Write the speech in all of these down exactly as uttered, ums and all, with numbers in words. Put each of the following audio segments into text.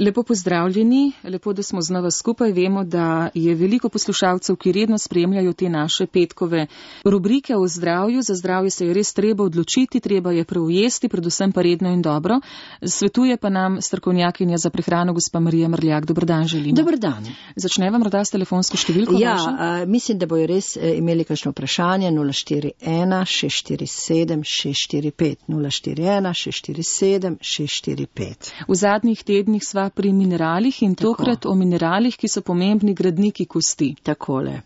Lepo pozdravljeni, lepo, da smo znova skupaj. Vemo, da je veliko poslušalcev, ki redno spremljajo te naše petkove rubrike o zdravju. Za zdravje se je res treba odločiti, treba je preujesti, predvsem pa redno in dobro. Svetuje pa nam strokovnjakinja za prehrano gospa Marija Mrljak. Dober dan želimo. Dober dan. Začneva morda s telefonsko številko? Ja, a, mislim, da bojo res imeli kakšno vprašanje. nula štiri ena šest štiri sedem šest štiri pet nula štiri ena šest štiri sedem šest štiri pet. V zadnjih tednih sva pri mineralih in Tako. tokrat o mineralih, ki so pomembni gradniki kosti. Takole.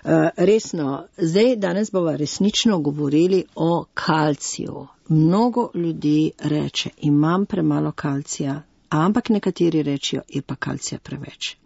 Uh, resno, zdaj danes bova resnično govorili o kalciju. Mnogo ljudi reče, imam premalo kalcija, ampak nekateri rečijo, je pa kalcija preveč.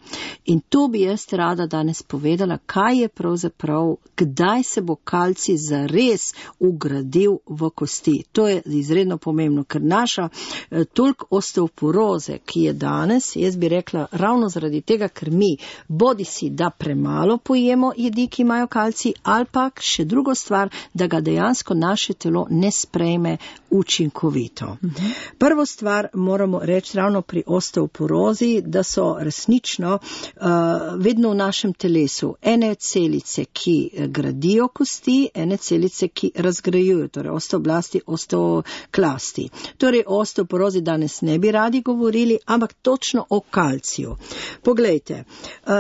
In to bi jaz rada danes povedala, kaj je pravzaprav, kdaj se bo kalcij zares ugradil v kosti. To je izredno pomembno, ker naša eh, toliko osteoporoze, ki je danes, jaz bi rekla ravno zaradi tega, ker mi bodi si, da premalo pojemo jedi, ki imajo kalcij, ali pa še drugo stvar, da ga dejansko naše telo ne sprejme učinkovito. Mhm. Prvo stvar moramo reči ravno pri osteoporozi, da so resnično Uh, vedno v našem telesu ene celice, ki gradijo kosti, ene celice, ki razgrajujo, torej osteoblasti, osteoklasti. Torej o osteoporozi danes ne bi radi govorili, ampak točno o kalciju. Poglejte, uh,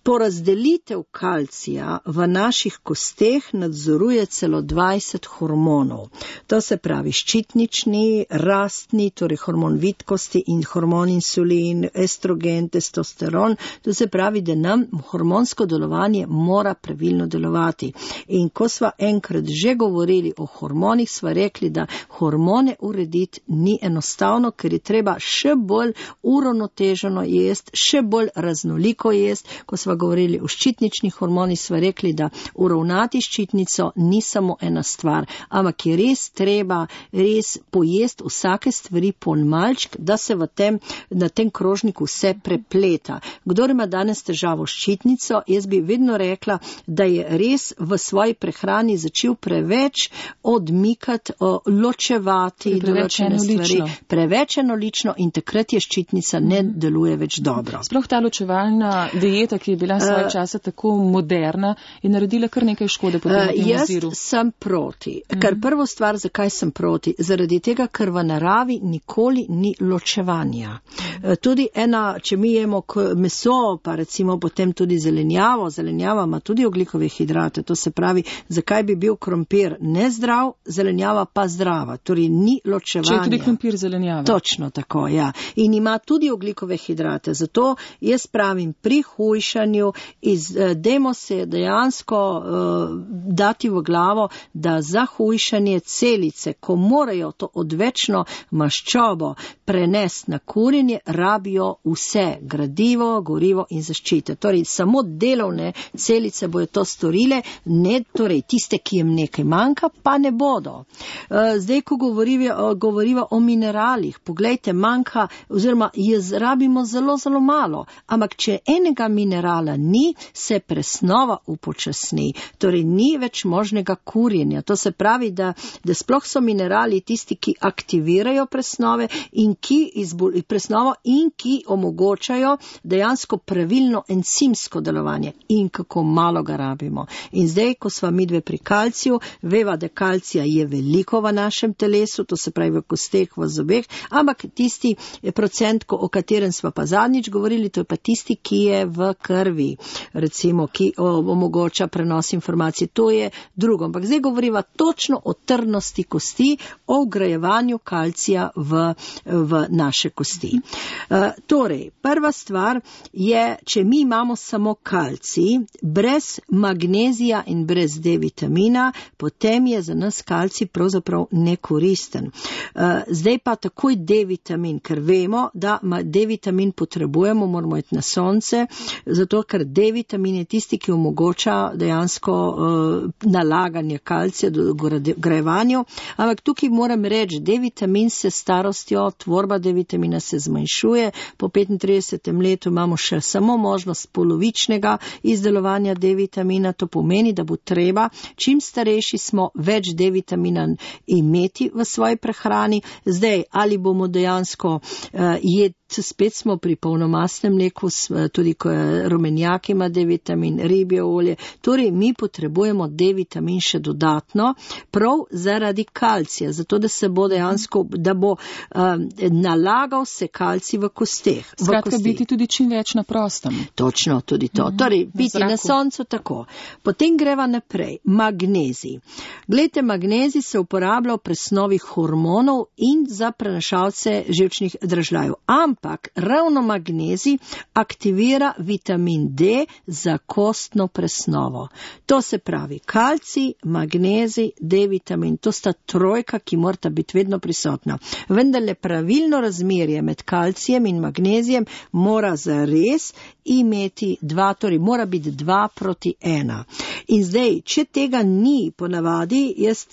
porazdelitev kalcija v naših kosteh nadzoruje celo dvajset hormonov. To se pravi ščitnični, rastni, torej hormon vitkosti in hormon insulin, estrogen, testosteron. To se pravi, da nam hormonsko delovanje mora pravilno delovati. In ko sva enkrat že govorili o hormonih, sva rekli, da hormone urediti ni enostavno, ker je treba še bolj uravnoteženo jesti, še bolj raznoliko jesti. Ko sva govorili o ščitničnih hormonih, sva rekli, da uravnati ščitnico ni samo ena stvar, ampak je res treba res pojesti vsake stvari po malček, da se v tem, na tem krožniku vse prepleta. Kdor ima danes težavo s ščitnico, jaz bi vedno rekla, da je res v svoji prehrani začel preveč odmikati, ločevati določene stvari. Preveč enolično in takrat je ščitnica ne deluje več dobro. Sploh ta ločevalna dieta, ki je bila svoje časa tako moderna, je naredila kar nekaj škode po tem uh, oziru. Jaz sem proti. Mm. Ker prvo stvar, zakaj sem proti? Zaradi tega, ker v naravi nikoli ni ločevanja. Uh, tudi ena, če mi jemo meso, pa recimo potem tudi zelenjavo. Zelenjava ima tudi oglikove hidrate. To se pravi, zakaj bi bil krompir nezdrav, zelenjava pa zdrava. Torej ni ločevanja. Če je tudi krompir zelenjava. Točno tako, ja. In ima tudi oglikove hidrate. Zato jaz pravim, pri hujšanju iz, dajmo se dejansko uh, dati v glavo, da za hujšanje celice, ko morajo to odvečno maščobo prenesti na kurjenje, rabijo vse gradivo, gorivo in zaščite. Torej, samo delovne celice bojo to storile, ne torej tiste, ki jim nekaj manjka, pa ne bodo. Zdaj, ko govoriva, govoriva o mineralih, poglejte, manjka, oziroma jaz rabimo zelo, zelo malo, ampak če enega minerala ni, se presnova upočasni. Torej, ni več možnega kurjenja. To se pravi, da, da sploh so minerali tisti, ki aktivirajo presnove in ki izbol, presnovo in ki omogočajo dejansko pravilno encimsko delovanje in kako malo ga rabimo. In zdaj, ko sva midve pri kalciju, veva, da kalcija je veliko v našem telesu, to se pravi v kosteh, v zobeh, ampak tisti procent, o katerem sva pa zadnjič govorili, to je pa tisti, ki je v krvi, recimo, ki omogoča prenos informacij, to je drugo. Ampak zdaj govoriva točno o trdnosti kosti, o vgrajevanju kalcija v, v naše kosti. Uh, torej, prva stvar je, če mi imamo samo kalcij, brez magnezija in brez D vitamina, potem je za nas kalcij pravzaprav nekoristen. Zdaj pa takoj D vitamin, ker vemo, da D vitamin potrebujemo, moramo iti na sonce, zato ker D vitamin je tisti, ki omogoča dejansko nalaganje kalcija do grajevanju, ampak tukaj moram reči, D vitamin se starostjo, tvorba D vitamina se zmanjšuje, po petintridesetem letu imamo imamo še samo možnost polovičnega izdelovanja D-vitamina, to pomeni, da bo treba, čim starejši smo, več D-vitamina imeti v svoji prehrani. Zdaj, ali bomo dejansko uh, jed, spet smo pri polnomastnem mleku, tudi ko je rumenjak ima D-vitamin, ribje olje, torej mi potrebujemo D-vitamin še dodatno, prav zaradi kalcija, zato da se bo dejansko, da bo um, nalagal se kalcij v kosteh. Skratka, biti tudi čim več na prostem. Točno, tudi to. Mm-hmm. Torej, biti na, na soncu tako. Potem greva naprej. Magnezij. Glejte, magnezij se uporablja v presnovi hormonov in za prenašalce živčnih dražljajev. Ampak ravno magnezij aktivira vitamin D za kostno presnovo. To se pravi kalcij, magnezij, D-vitamin. To sta trojka, ki morata biti vedno prisotna. Vendar le pravilno razmerje med kalcijem in magnezijem mora zares imeti dva, torej mora biti dva proti ena. In zdaj, če tega ni ponavadi, jaz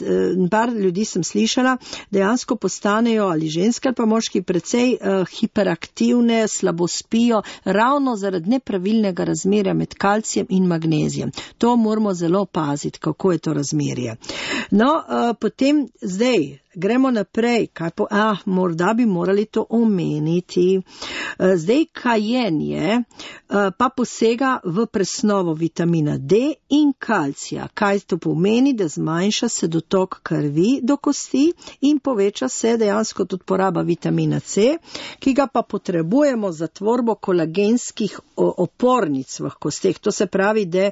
par ljudi sem slišala, dejansko postanejo ali ženske ali pa moški precej uh, hiperaktivne, slabo spijo, ravno zaradi nepravilnega razmerja med kalcijem in magnezijem. To moramo zelo paziti, kako je to razmerje. No, uh, potem zdaj, gremo naprej, kaj po, ah, morda bi morali to omeniti. Zdaj, kajenje pa posega v presnovo vitamina D in kalcija. Kaj to pomeni? Da zmanjša se dotok krvi do kosti in poveča se dejansko tudi poraba vitamina C, ki ga pa potrebujemo za tvorbo kolagenskih opornic v kosteh. To se pravi, da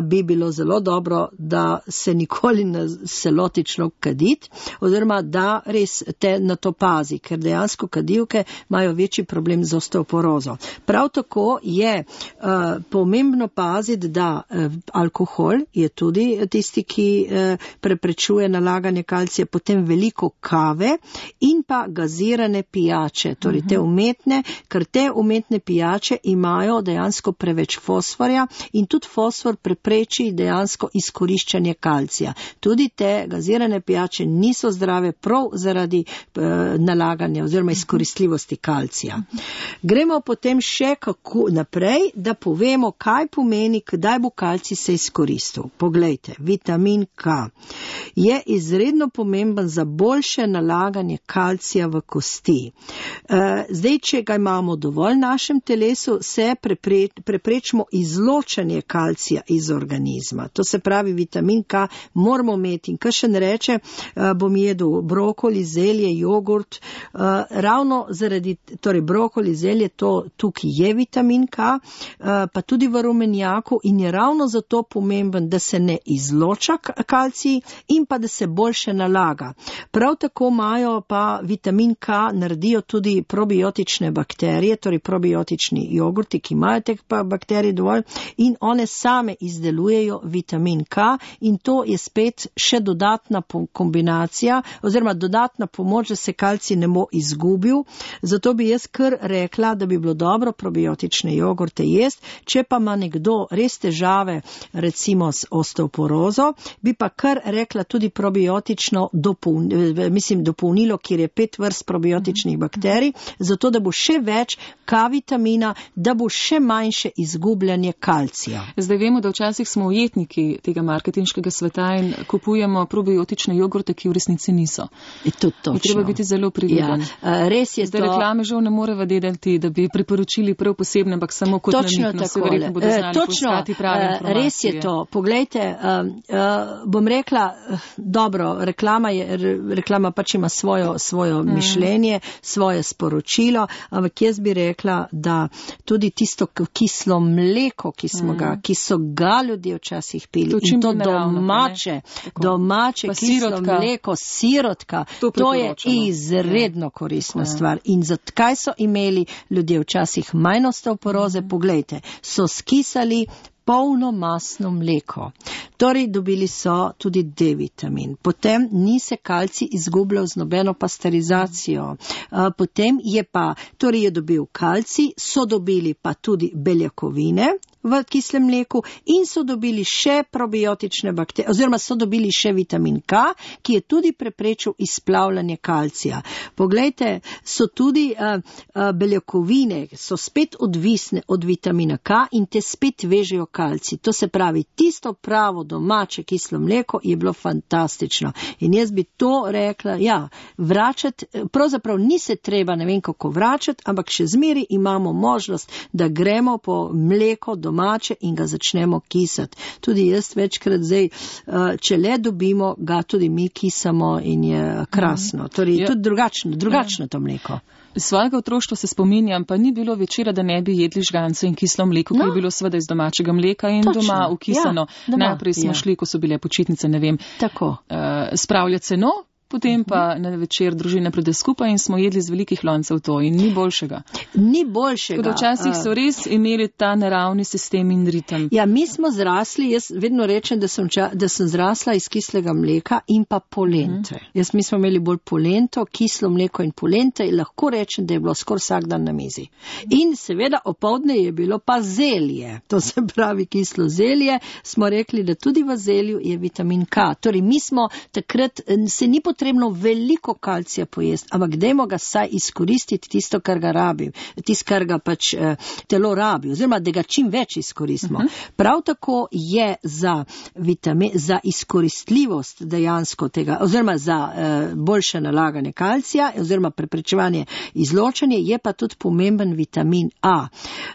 bi bilo zelo dobro, da se nikoli ne se loti človek kaditi, oziroma da res te na to pazi, ker dejansko kadilke imajo večji problem z osteoporozo. Prav tako je uh, pomembno paziti, da uh, alkohol je tudi tisti, ki uh, preprečuje nalaganje kalcija, potem veliko kave in pa gazirane pijače, torej te umetne, ker te umetne pijače imajo dejansko preveč fosforja in tudi fosfor prepreči dejansko izkoriščanje kalcija. Tudi te gazirane pijače niso zdrave prav zaradi uh, nalaganja oziroma izkoristljivosti kalcija. Gremo potem še kako naprej, da povemo, kaj pomeni, kdaj bo kalcij se izkoristil. Poglejte, vitamin K je izredno pomemben za boljše nalaganje kalcija v kosti. Uh, zdaj, če ga imamo dovolj v našem telesu, se prepre, preprečimo izločanje kalcija iz organizma. To se pravi, vitamin K moramo imeti. In kakšen reče, uh, bom jedel brokoli, zelje, jogurt, uh, ravno zaradi, torej brokoli, zelje, to tukaj je vitamin K, uh, pa tudi v rumenjaku in je ravno zato pomemben, da se ne izloča kalcij in pa da se boljše nalaga. Prav tako imajo pa vitamin K, naredijo tudi probiotične bakterije, torej probiotični jogurti, ki imajo teh bakterij dovolj in one same izdelujejo vitamin K in to je spet še dodatna kombinacija oziroma dodatna pomoč, da se kalcij ne bo izgubil. Zato bi jaz kar rekla, da bi bilo dobro probiotične jogurte jesti. Če pa ima nekdo res težave, recimo s osteoporozo, bi pa kar rekla tudi probiotično dopolnilo, mislim, dopolnilo, kjer je pet vrst probiotičnih bakterij, zato da bo še več K-vitamina, da bo še manjše izgubljanje kalcija. Zdaj vemo, da včasih smo ujetniki tega marketinškega sveta in kupujemo probiotične jogurte, ki v resnici niso. Je to točno. Je treba biti zelo prividen. Ja, res je. Zdaj to... reklame žal ne more vedeti, da bi priporočili prav posebne, ampak samo kot namig, no se verjetno bodo znali poiskati prave informacije. Res je to. Poglejte, uh, uh, bom rekla, uh, dobro, reklama, je, re, reklama pač ima svojo, svojo mm. mišljenje, svoje sporočilo, ampak jaz bi rekla, da tudi tisto kislo mleko, ki, smo mm. ga, ki so ga ljudje včasih pili, to in to domače, domače kislo sirotka. Mleko, sirotka, to, to je izredno koristna ja. stvar. In zakaj so imeli ljudje včasih manj osteoporoze? Mm. Poglejte, so skisali polnomasno mleko. Torej, dobili so tudi D-vitamin. Potem ni se kalcij izgubljal z nobeno pasterizacijo. Potem je pa, torej je dobil kalcij, so dobili pa tudi beljakovine v kislem mleku in so dobili še probiotične bakterije, oziroma so dobili še vitamin K, ki je tudi preprečil izplavljanje kalcija. Poglejte, so tudi uh, uh, beljakovine, so spet odvisne od vitamina K in te spet vežejo kalcij. To se pravi, tisto pravo domače kislo mleko je bilo fantastično. In jaz bi to rekla, ja, vračati, pravzaprav ni se treba ne vem kako vračati, ampak še zmeri imamo možnost, da gremo po mleko domače in ga začnemo kisati. Tudi jaz večkrat zdaj, če le dobimo, ga tudi mi kisamo in je krasno. Torej, ja. Tudi drugačno, drugačno to mleko. Svojega otroštva se spominjam, pa ni bilo večera, da ne bi jedli žgance in kislo mleko, no. Ki je bilo seveda iz domačega mleka in točno. Doma ukisano. Ja, doma. Najprej smo ja. šli, ko so bile počitnice, ne vem, Tako. Uh, spravljati seno. Potem pa na večer družina pride skupaj in smo jedli z velikih loncev to in ni boljšega. Ni boljšega. Tako da včasih so res imeli ta naravni sistem in ritem. Ja, mi smo zrasli, jaz vedno rečem, da sem, da sem zrasla iz kislega mleka in pa polente. Mm. Jaz mi smo imeli bolj polento, kislo mleko in polente in lahko rečem, da je bilo skoraj vsak dan na mizi. In seveda opoldne je bilo pa zelje. To se pravi kislo zelje. Smo rekli, da tudi v zelju je vitamin K. Torej, mi smo takrat, se ni potrebno veliko kalcija pojesti, ampak dajmo ga saj izkoristiti tisto, kar ga rabi, tisto, kar ga pač eh, telo rabi, oziroma da ga čim več izkoristimo. Uh-huh. Prav tako je za, vitamin, za izkoristljivost dejansko tega, oziroma za eh, boljše nalaganje kalcija, oziroma preprečevanje izločanja, je pa tudi pomemben vitamin A.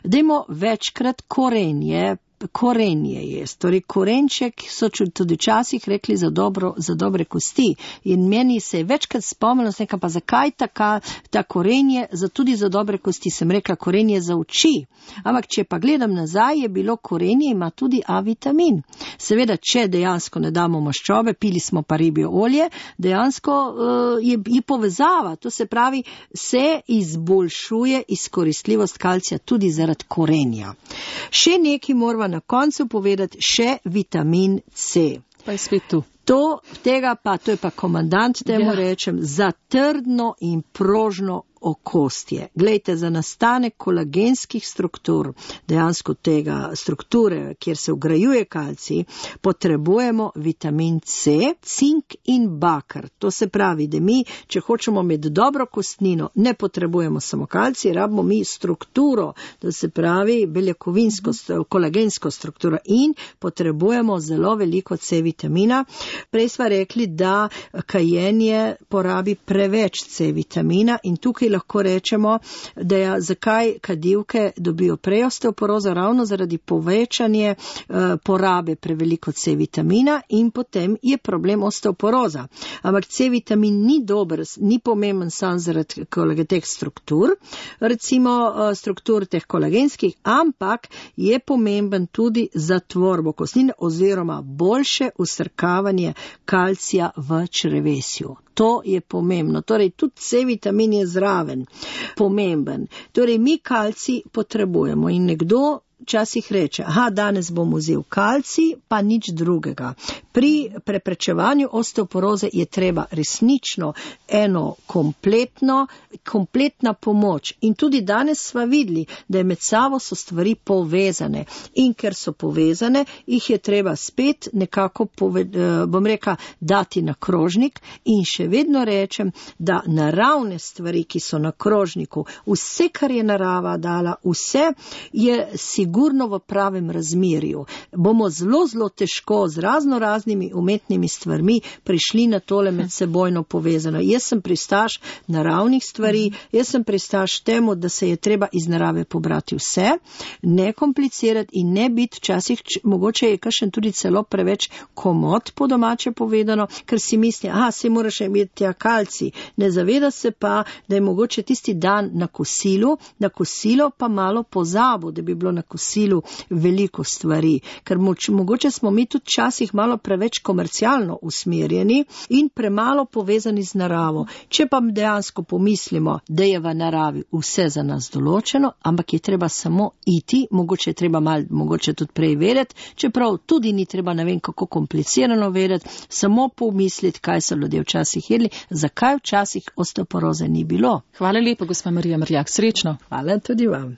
Dajmo večkrat korenje, korenje jest. Torej, korenček so tudi včasih rekli za, dobro, za dobre kosti. In meni se je večkrat spomnilo, sem rekla, pa zakaj taka, ta korenje, za tudi za dobre kosti. Sem rekla, korenje za oči. Ampak, če pa gledam nazaj, je bilo korenje, ima tudi A vitamin. Seveda, če dejansko ne damo maščobe, pili smo pa ribjo olje, dejansko uh, je, je povezava. To se pravi, se izboljšuje izkoristljivost kalcija tudi zaradi korenja. Še nekaj moramo na koncu povedati, še vitamin C. Pa je spet tu. To, tega pa, to je pa komandant, temu ja. rečem, za trdno in prožno okostje. Glejte, za nastanek kolagenskih struktur, dejansko tega strukture, kjer se vgrajuje kalcij, potrebujemo vitamin C, cink in bakar. To se pravi, da mi, če hočemo imeti dobro kostnino, ne potrebujemo samo kalcij, rabimo mi strukturo, to se pravi beljakovinsko, kolagensko strukturo in potrebujemo zelo veliko C vitamina. Prej smo rekli, da kajenje porabi preveč C vitamina in tukaj lahko rečemo, da je, zakaj kadilke dobijo prej osteoporozo, ravno zaradi povečanje uh, porabe preveliko C vitamina in potem je problem osteoporoza. Ampak C vitamin ni dober, ni pomemben sam zaradi teh struktur, recimo uh, struktur teh kolagenskih, ampak je pomemben tudi za tvorbo kostnine oziroma boljše usrkavanje kalcija v črevesju. To je pomembno. Torej, tudi C vitamin je zraven pomemben. Torej, mi kalcij potrebujemo in nekdo včasih reče, aha, danes bom vzel kalcij, pa nič drugega. Pri preprečevanju osteoporoze je treba resnično eno kompletno, kompletna pomoč. In tudi danes sva videli, da je med sabo so stvari povezane. In ker so povezane, jih je treba spet nekako, pove, bom rekla, dati na krožnik in še vedno rečem, da naravne stvari, ki so na krožniku, vse, kar je narava dala, vse je sigurno v pravem razmerju. Bomo zelo, zelo težko z razno raznimi umetnimi stvarmi prišli na tole med sebojno povezano. Jaz sem pristaš naravnih stvari, jaz sem pristaš temu, da se je treba iz narave pobrati vse, ne komplicirati in ne biti včasih, mogoče je kakšen tudi celo preveč komod po domače povedano, ker si misli, aha, se moraš imeti tja kalcij. Ne zaveda se pa, da je mogoče tisti dan na kosilu, na kosilo pa malo pozabo, da bi bilo na kosilu kosilu veliko stvari, ker moč, mogoče smo mi tudi časih malo preveč komercialno usmerjeni in premalo povezani z naravo. Če pa dejansko pomislimo, da je v naravi vse za nas določeno, ampak je treba samo iti, mogoče je treba malo, mogoče tudi prej vedeti, čeprav tudi ni treba ne vem kako komplicirano vedeti, samo pomisliti, kaj so ljudje včasih jedli, zakaj včasih osteoporoze ni bilo. Hvala lepa, gospa Marija Mrljak, srečno. Hvala tudi vam.